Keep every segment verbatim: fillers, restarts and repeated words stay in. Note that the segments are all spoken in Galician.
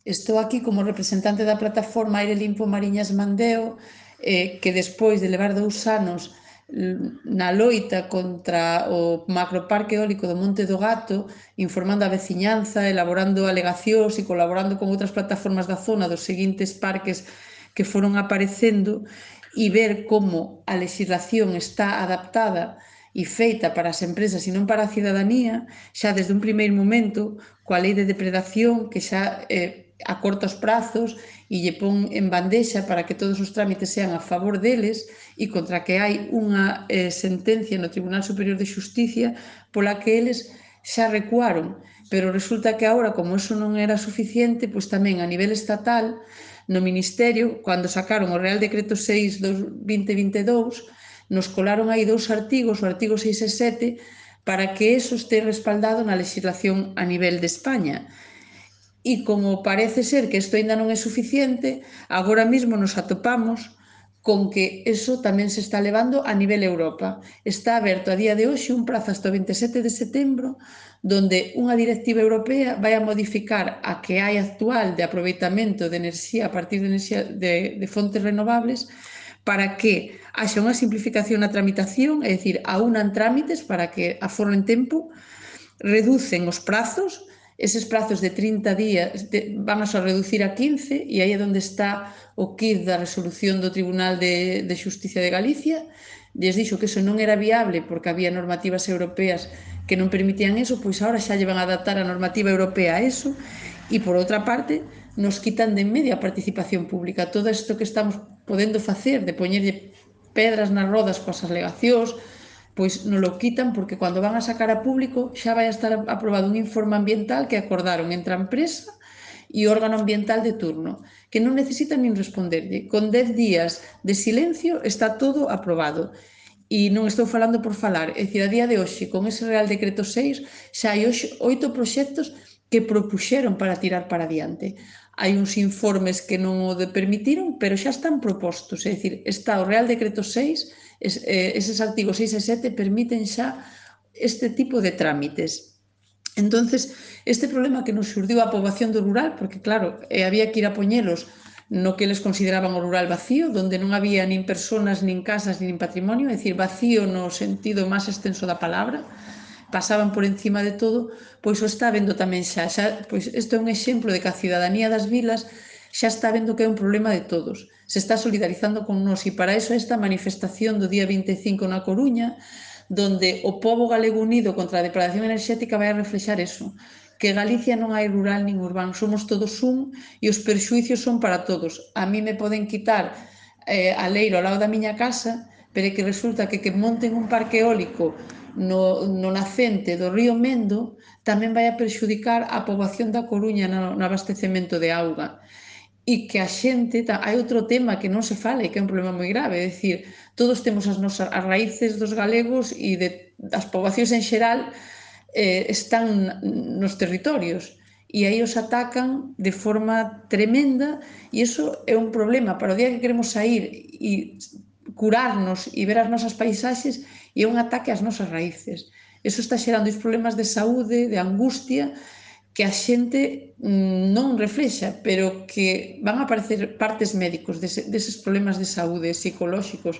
Estou aquí como representante da plataforma Aire Limpo Mariñas Mandeo, eh, que despois de levar dous anos na loita contra o macroparque eólico do Monte do Gato, informando a veciñanza, elaborando alegacións e colaborando con outras plataformas da zona dos seguintes parques que foron aparecendo, e ver como a legislación está adaptada e feita para as empresas e non para a cidadanía, xa desde un primeiro momento, coa lei de depredación, que xa eh, acorta os prazos e lle pon en bandexa para que todos os trámites sean a favor deles, e contra que hai unha eh, sentencia no Tribunal Superior de Xusticia pola que eles xa recuaron. Pero resulta que agora, como eso non era suficiente, pois tamén a nivel estatal, no Ministerio, cando sacaron o Real Decreto seis barra vinte vinte e dous, nos colaron aí dous artigos, o artigo seis e sete, para que eso este respaldado na legislación a nivel de España. E como parece ser que isto ainda non é suficiente, agora mesmo nos atopamos con que eso tamén se está levando a nivel Europa. Está aberto a día de hoxe un prazo hasta o veintisiete de setembro, donde unha directiva europea vai a modificar a que hai actual de aproveitamento de enerxía a partir de, enerxía de, de fontes renovables, para que haxa unha simplificación na tramitación, é dicir, aunan trámites para que aforren tempo, reducen os prazos, eses prazos de trinta días van a só reducir a quince, e aí é onde está o quid da resolución do Tribunal de, de Xusticia de Galicia. Lles dixo que eso non era viable porque había normativas europeas que non permitían eso, pois agora xa lle van a adaptar a normativa europea a eso, e por outra parte nos quitan de en medio a participación pública. Todo isto que estamos podendo facer de poñerlle pedras nas rodas coas alegacións, pois non lo quitan porque cando van a sacar a público xa vai a estar aprobado un informe ambiental que acordaron entre a empresa e o órgano ambiental de turno, que non necesitan nin responderlle. Con dez días de silencio está todo aprobado. E non estou falando por falar, é dicir, a día de hoxe, con ese Real Decreto seis, xa hai oito proxectos que propuxeron para tirar para adiante. Hai uns informes que non o permitiron, pero xa están propostos, é dicir, está o Real Decreto seis, eses artigos seis e sete permiten xa este tipo de trámites. Entonces, este problema que nos xurdiu a poboación do rural, porque claro, había que ir a poñelos no que eles consideraban o rural vacío, onde non había nin persoas, nin casas, nin patrimonio, é dicir, vacío no sentido máis extenso da palabra, pasaban por encima de todo, pois o está vendo tamén xa. xa pois isto é un exemplo de que a cidadanía das vilas xa está vendo que é un problema de todos. Se está solidarizando con nós, e para iso esta manifestación do día vinte e cinco na Coruña, donde o pobo galego unido contra a depredación enerxética vai a reflexar eso, que Galicia non hai rural nin urbano, somos todos un e os perxuicios son para todos. A mí me poden quitar eh, a leiro ao lado da miña casa, pero é que resulta que que monten un parque eólico no, no nacente do río Mendo tamén vai a perxudicar a poboación da Coruña no, no abastecemento de auga. E que a xente, hai outro tema que non se fala e que é un problema moi grave, é dicir, todos temos as nosas as raíces dos galegos e de, das poboacións en xeral eh, están nos territorios e aí os atacan de forma tremenda, e iso é un problema para o día que queremos sair e curarnos e ver as nosas paisaxes, e é un ataque ás nosas raíces. Iso está xerando os problemas de saúde, de angustia, que a xente non reflexa, pero que van a aparecer partes médicos deses problemas de saúde psicolóxicos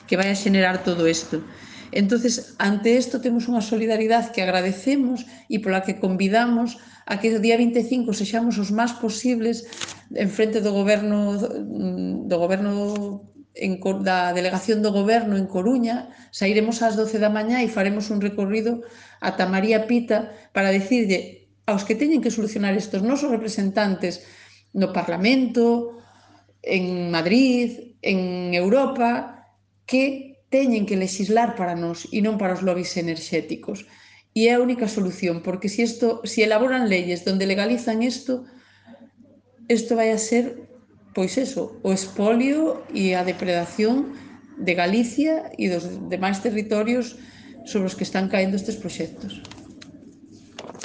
que vai a xenerar todo isto. Entonces, ante isto temos unha solidaridade que agradecemos e pola que convidamos a que o día vinte e cinco sexamos os máis posibles en frente do goberno do goberno en, da delegación do goberno en Coruña. Sairemos ás doce da mañá e faremos un recorrido ata María Pita para dicirlle aos que teñen que solucionar estes nosos representantes no Parlamento, en Madrid, en Europa, que teñen que legislar para nós e non para os lobbies enerxéticos. E é a única solución, porque se, isto, se elaboran leyes donde legalizan isto, isto vai a ser, pois eso, o expolio e a depredación de Galicia e dos demais territorios sobre os que están caendo estes proxectos.